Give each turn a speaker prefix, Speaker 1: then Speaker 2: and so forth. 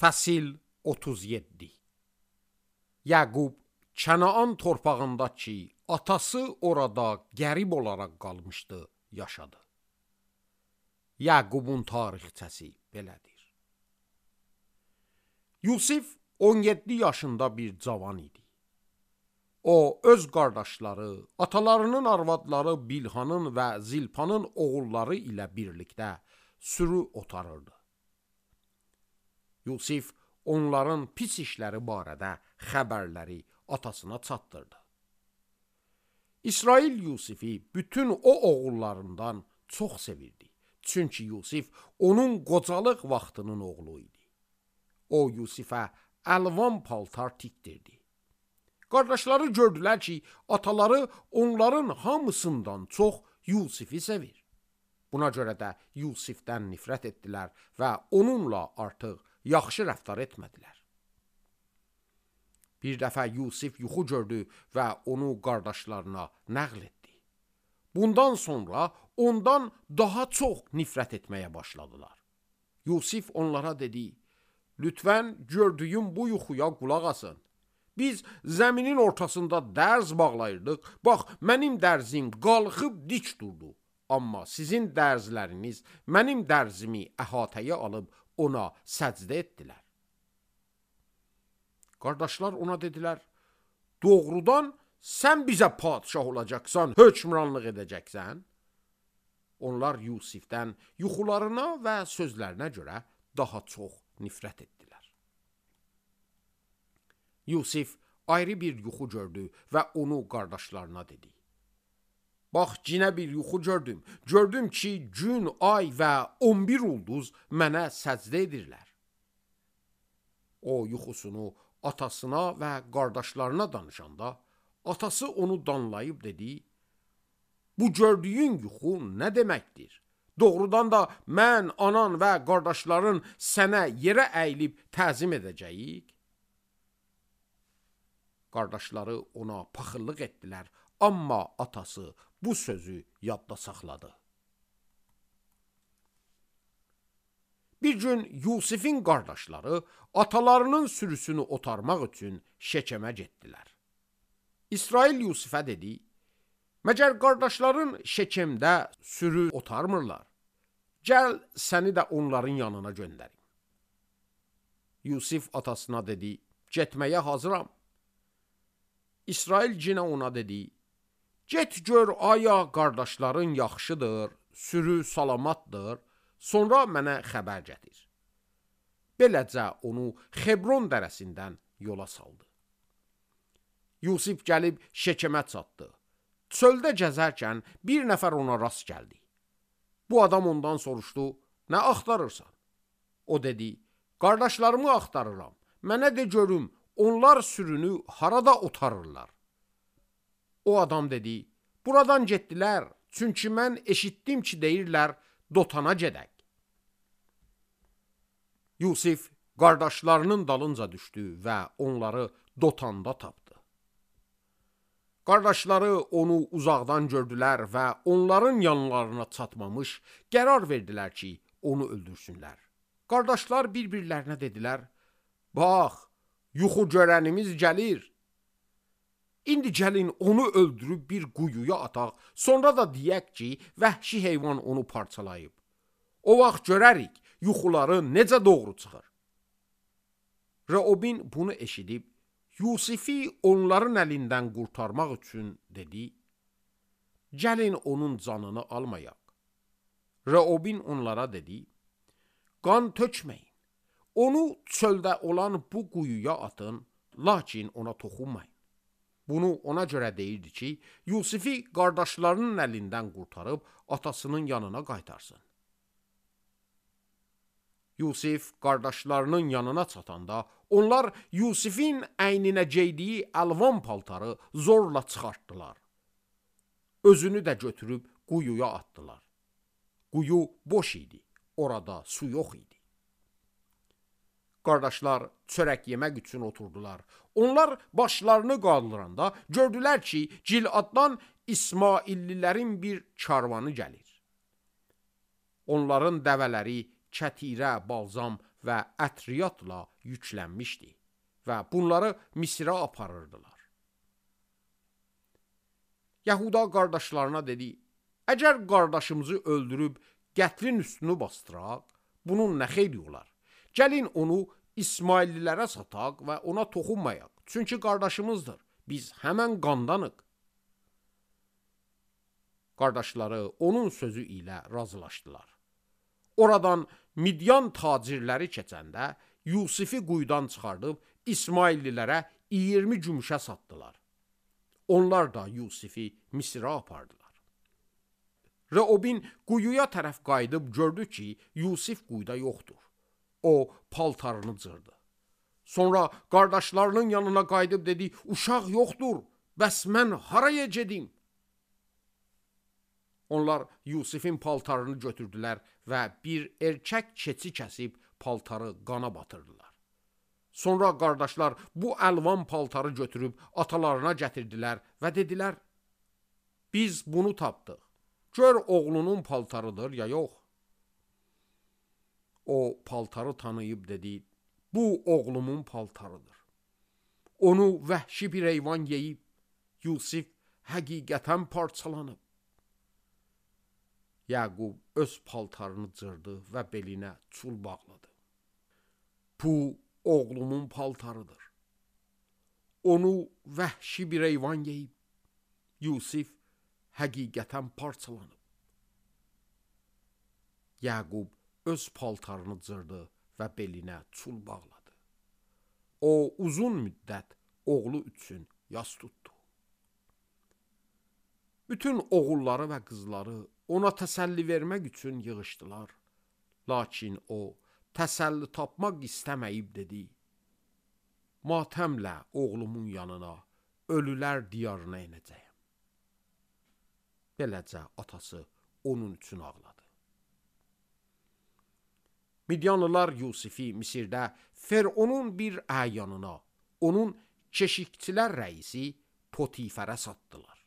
Speaker 1: Fəsil 37. Yaqub Kənaan torpağında ki, atası orada qərib olaraq qalmışdı, yaşadı. Yaqubun tarixçəsi belədir. Yusif 17 yaşında bir cavan idi. O, öz qardaşları, atalarının arvadları Bilhanın və Zilpanın oğulları ilə birlikdə sürü otarırdı. Yusif onların pis işləri barədə xəbərləri atasına çatdırdı. İsrail Yusifi bütün o oğullarından çox sevirdi. Çünki Yusif onun qocalıq vaxtının oğlu idi. O, Yusifə əlvan paltar tikdirdi. Qardaşları gördülər ki, ataları onların hamısından çox Yusifi sevir. Buna görə də Yusifdən nifrət etdilər və onunla artıq yaxşı rəftar etmədilər. Bir dəfə Yusif yuxu gördü və onu qardaşlarına nəql etdi. Bundan sonra ondan daha çox nifrət etməyə başladılar. Yusif onlara dedi, lütfən gördüyüm bu yuxuya qulaq asın. Biz zəminin ortasında dərz bağlayırdıq. Bax, mənim dərzim qalxıb dik durdu. Amma sizin dərzləriniz mənim dərzimi əhatəyə alıb ona səcdə etdilər. Qardaşlar ona dedilər, doğrudan sən bizə padişah olacaqsan, hökmranlıq edəcəksən. Onlar Yusifdən yuxularına və sözlərinə görə daha çox nifrət etdilər. Yusif ayrı bir yuxu gördü və onu qardaşlarına dedi. Bax, cinə bir yuxu gördüm. Gördüm ki, gün, ay və 11 ulduz mənə səcdə edirlər. O, yuxusunu atasına və qardaşlarına danışanda, atası onu danlayıb dedi, bu gördüyün yuxu nə deməkdir? Doğrudan da mən, anan və qardaşların sənə yerə əyilib təzim edəcəyik. Qardaşları ona paxıllıq etdilər, amma atası bu sözü yadda saxladı. Bir gün Yusifin qardaşları atalarının sürüsünü otarmaq üçün Şekemə getdilər. İsrail Yusifə dedi, məgər qardaşların Şekemdə sürü otarmırlar? Gəl səni də onların yanına göndərim. Yusif atasına dedi, getməyə hazıram. İsrail cinə ona dedi, get gör aya qardaşların yaxşıdır, sürü salamatdır, sonra mənə xəbər gətir. Beləcə onu Xebron dərəsindən yola saldı. Yusif gəlib Şekemə çatdı. Çöldə gəzərkən bir nəfər ona rast gəldi. Bu adam ondan soruşdu, nə axtarırsan? O dedi, qardaşlarımı axtarıram, mənə de görüm, onlar sürünü harada otarırlar? O adam dedi, buradan getdilər, çünki mən eşitdim ki, deyirlər, Dotana gedək. Yusif qardaşlarının dalınca düşdü və onları Dotanda tapdı. Qardaşları onu uzaqdan gördülər və onların yanlarına çatmamış qərar verdilər ki, onu öldürsünlər. Qardaşlar bir-birlərinə dedilər, bax, yuxu görənimiz gəlir. İndi gəlin onu öldürüb bir quyuya ataq, sonra da deyək ki, vəhşi heyvan onu parçalayıb. O vaxt görərik, yuxuları necə doğru çıxır. Reobin bunu eşidib, Yusifi onların əlindən qurtarmaq üçün dedi, gəlin onun canını almayaq. Reobin onlara dedi, qan tökməyin, onu çöldə olan bu quyuya atın, lakin ona toxunmayın. Bunu ona görə deyirdi ki, Yusifi qardaşlarının əlindən qurtarıb atasının yanına qaytarsın. Yusif qardaşlarının yanına çatanda, onlar Yusifin əyninə geydiyi əlvan paltarı zorla çıxartdılar. Özünü də götürüb quyuya atdılar. Quyu boş idi, orada su yox idi. Qardaşlar çörək yemək üçün oturdular. Onlar başlarını qaldıranda gördülər ki, Giladdan İsmaillilərin bir karvanı gəlir. Onların dəvələri kətirə, balzam və ətriyatla yüklənmişdi və bunları Misirə aparırdılar. Yahuda qardaşlarına dedi, əgər qardaşımızı öldürüb qətlin üstünü bastıraq, bunun nə xeyri olar? Gəlin onu İsmaillilərə sataq və ona toxunmayaq. Çünki qardaşımızdır. Biz həmən qandanıq. Qardaşları onun sözü ilə razılaşdılar. Oradan Midyan tacirləri keçəndə Yusifi quyudan çıxardıb İsmaillilərə 20 gümüşə satdılar. Onlar da Yusifi Misirə apardılar. Reobin quyuya tərəf qayıdıb gördü ki, Yusif quyuda yoxdur. O paltarını cırdı. Sonra qardaşlarının yanına qayıdıb dedi, uşaq yoxdur, bəs mən haraya gedim? Onlar Yusifin paltarını götürdülər və bir erkək keçi kəsib paltarı qana batırdılar. Sonra qardaşlar bu əlvan paltarı götürüb atalarına gətirdilər və dedilər, biz bunu tapdıq. Gör oğlunun paltarıdır ya yox. O paltarı tanıyıb dedi, bu oğlumun paltarıdır. Onu vəhşi bir heyvan yeyib, Yusif həqiqətən parçalanıb. Yaqub öz paltarını cırdı və belinə çul bağladı. Bu oğlumun paltarıdır. Onu vəhşi bir heyvan yeyib, Yusif həqiqətən parçalanıb. Yaqub öz paltarını cırdı və belinə çul bağladı. O uzun müddət oğlu üçün yas tutdu. Bütün oğulları və qızları ona təsəlli vermək üçün yığışdılar. Lakin o təsəlli tapmaq istəməyib dedi, matəmlə oğlumun yanına, ölülər diyarına enəcəyəm. Beləcə atası onun üçün ağladı. Midyanlılar Yusifi Misirdə Fəronun bir əyanına, onun keşikçilər rəisi Potifərə satdılar.